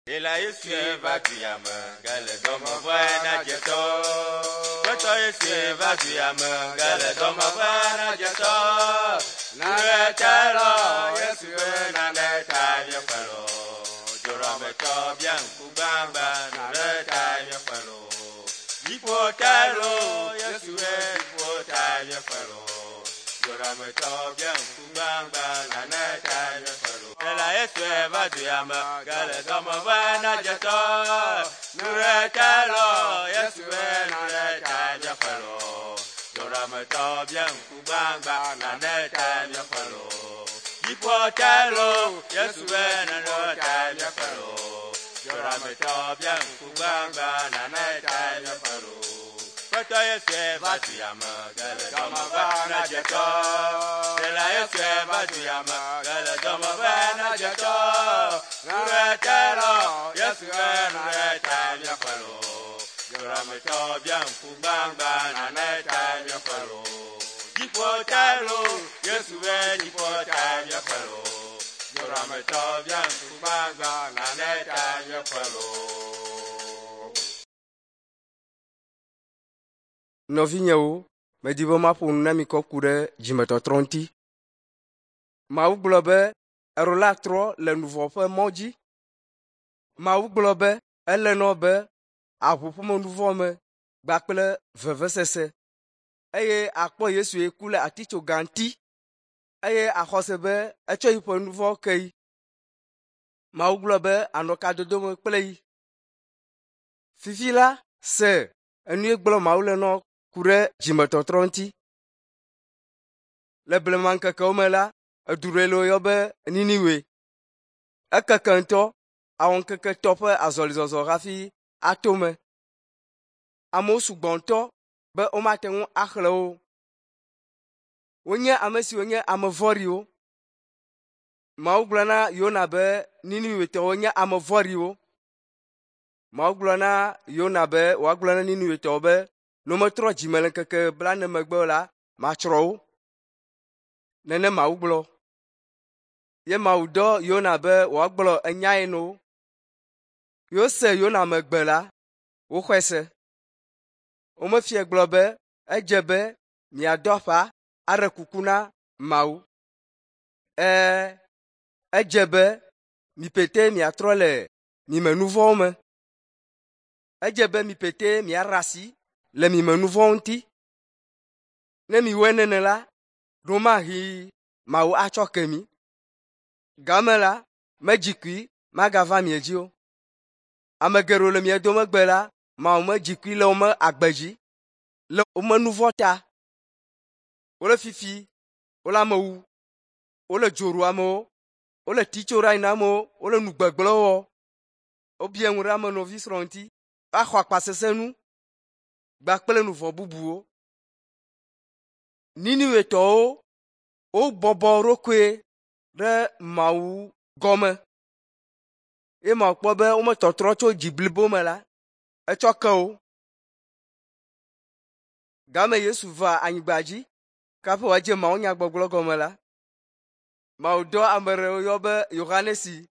Ela Yesu va du ya me, gale dɔme vɔe na dzetɔ. Gbetɔ Yesu va du ya me, gale dɔme vɔe na dzetɔ. Nane ta lɔ, Yesu nane ta míaƒe lɔ. Dzorɔmetɔ bia ŋku gbagba, nane ta míaƒe lɔ. Dziƒo ta lɔ, Yesu dziƒo ta míaƒe lɔ. Dzorɔmetɔ bia ŋku gbagba, nane ta míaƒe lɔ. Ela Yesu va du ya me, gale dɔme vɔe na dzetɔ. Nure ta lɔ, Yesu nane ta míaƒe lɔ. Dzorɔmetɔ bia ŋku gbagba, nane ta míaƒe lɔ. Dziƒo ta lɔ, Yesu nane ta míaƒe lɔ. Dzorɔmetɔ bia ŋku gbagba, nane ta míaƒe lɔ. Gbetɔ Yesu va du ya me, gale dɔme vɔe na dzetɔ. Ela Yesu va du ya me, gale dɔme vɔe na dzetɔ. Nure ta lɔ, Yesu nane ta míaƒe lɔ. Dzorɔmetɔ bia ŋku gbagba, nane ta míaƒe lɔ. Dziƒo ta lɔ, Yesu dziƒo ta míaƒe lɔ. Dzorɔmetɔ bia ŋku gbagba, nane ta míaƒe lɔ. Nɔvinyewo, medi be maƒo nu na mi kɔ ku ɖe dzimetɔtrɔ ŋuti. Mawu gblɔ be eɖo la trɔ le nuvɔ ƒe mɔ dzi. Mawu gblɔ be ele nɔ be aʋu ƒome nuvɔ me kpakple vevesese eye akpɔ Yesu ye ku le atitsoga ŋuti eye axɔ se be etsɔ yiƒe nuvɔ ke yi. Mawu gblɔ be anɔ kadodo me kple yi. Fifi la se enu ye gblɔ Mawu le nɔ ku ɖe dzimetɔtrɔ ŋuti. Le blema ŋkekewo me la, edu ɖe le woyɔ be Niniwe. Ekeke ŋutɔ awɔ ŋkeke tɔ ƒe azɔlizɔzɔ hafi ato me. Amewo sugbɔ ŋutɔ be womate ŋu axlẽ wo. Wonye ame siwo nye ame vɔ̃ɖiwo. Mawu gblɔ na Yona be Niniwetɔwo nye ame vɔ̃ɖiwo. Mawu gblɔ na Yona be wòagblɔ na Niniwetɔwo be ne wometrɔ dzime le ŋkeke blaene megbe o la, matsrɔ̃ wo. Nene Mawu gblɔ. Ye Mawu dɔ Yona be wòagblɔ enyae na wo. Yose Yona megbe la, woxɔe se. Womefia gblɔ be edze be miado aƒa aɖe kuku na Mawu. Ɛɛ, edze be mi pete miatrɔ le mime nu vɔ̃wo me. Edze be mi pete miaɖe asi le mime nu vɔ̃wo ŋuti. Ne miwɔe nene la, ɖomahi Mawu atsɔ ke mi. Game la, medzi kui magava mie dzi o. Ame geɖewo le mia dome gbe la, Mawu medzi kui le wome agbe dzi, le wome nu vɔ̃ ta. Wole fifi, wole ame wu, wole dzo ɖu amewo, wole titso ɖe anyi na amewo, wole nu gbegblẽwo wɔ. Wobia ŋu ɖe ame nɔvi srɔ̃ ŋuti, axɔ akpasesẽnu kpakple nu vɔ̃ bubuwo. Niniwetɔwo wobɔbɔ wo ɖokoe ɖe Mawu gɔme ye Mawu kpɔ be wometɔtrɔ tso dzi blibo me la, etsɔ ke wo. Game Yesu va anyigba dzi kaƒe wòadze mawunyagbɔgblɔ gɔme la, Mawu dɔ ame ɖewo yɔ be Yohanesi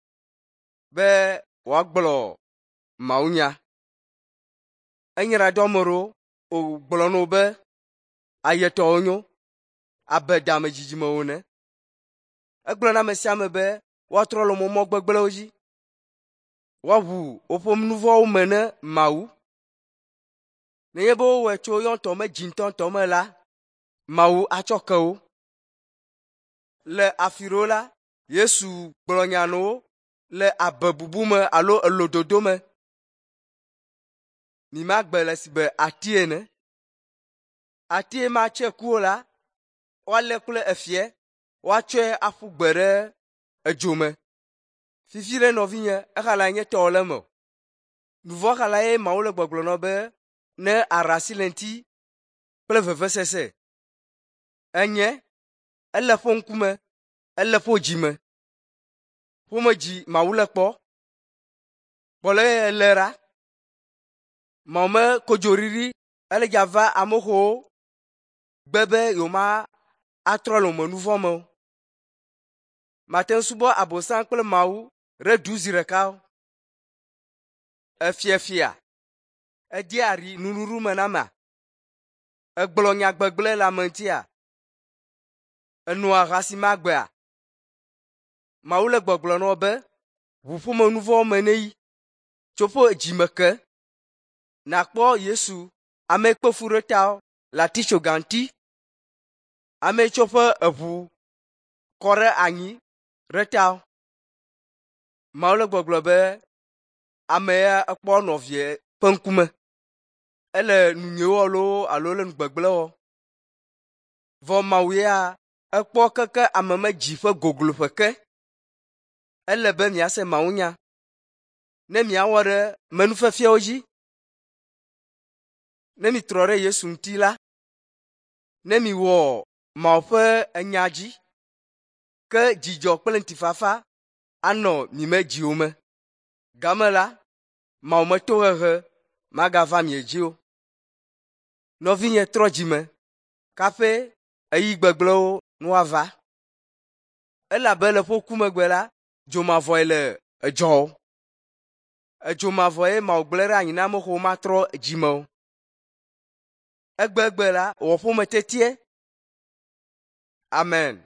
be wòagblɔ mawunya. Enyra dɔ ame ɖewo wògblɔ na wo be ayetɔwo nyo abe dame dzidzimewo ene. Egblɔ na ame sia ame be woatrɔ le wo mɔ gbegblẽwo dzi, woaʋu woƒe nu vɔ̃wo me ne Mawu. Nenye be wowɔe tso yewo ŋutɔ me dzi ŋutɔŋutɔ me la, Mawu atsɔ ke wo. Le afi ɖewo la, Yesu gblɔ nya na wo le abebubu me alo elododo me. Mimagbe le si be ati ene. Ati matse ku o la, woalé kple efia, woatsɔe aƒu gbe ɖe edzo me. Fifi ɖe nɔvinye, exala nye tɔwò le eme o. Nu vɔ̃ xala ye Mawu le gbɔgblɔ na wo be ne aɖe asi le ŋuti kple vevesese. Enye, ele ƒe ŋkume, ele ƒe dzime. Ƒome dzi Mawu le kpɔ. Kpɔ le ele ɖa. Mawu me kodzoɖiɖi ele dza va amewo gbe be yewoma atrɔ le wome nu vɔ̃ me o. Mate ŋu subɔ Abosam kple Mawu ɖe du zi ɖeka o. Efiafia. Edea aɖi nuɖuɖu me na amea. Egblɔ nya gbegblẽ le ame ŋutia. Enɔa ahasimagbea. Mawu le gbɔgblɔ na wo be ʋuƒome nu vɔ̃wo me ne yi tso ƒe dzime ke. Nakpɔ Yesu ame kpe fu ɖe ta le atitsoga ŋuti. Ame tsɔ ƒe eʋu kɔ ɖe anyi ɖe ta. Mawu le gbɔgblɔ be ame ya ekpɔ nɔvie ƒe ŋkume. Ele nu nyui wɔ loo alo le nu gbegblẽ wɔ. Vɔ Mawu ya ekpɔ keke ame me dzi ƒe gogloƒe ke. Ele be miase Mawunya ne miawɔ ɖe menufiafiawo dzi. Ne mitrɔ ɖe Yesu ŋuti la, ne miwɔ Mawu ƒe enya dzi, ke dzidzɔ kple ŋutifafa anɔ mime dziwo me. Game la, Mawu me tohehe magava mie dzi o. Nɔvinye trɔ dzime kaƒe eyi gbegblẽwo nu ava. Elabe le ƒe ku megbe la, dzomavɔe le edzɔ. Edzomavɔe Mawu gblẽ ɖe anyi na ame xewo matrɔ dzime o. Egbegbe la, wɔ ƒome tetie. Amen.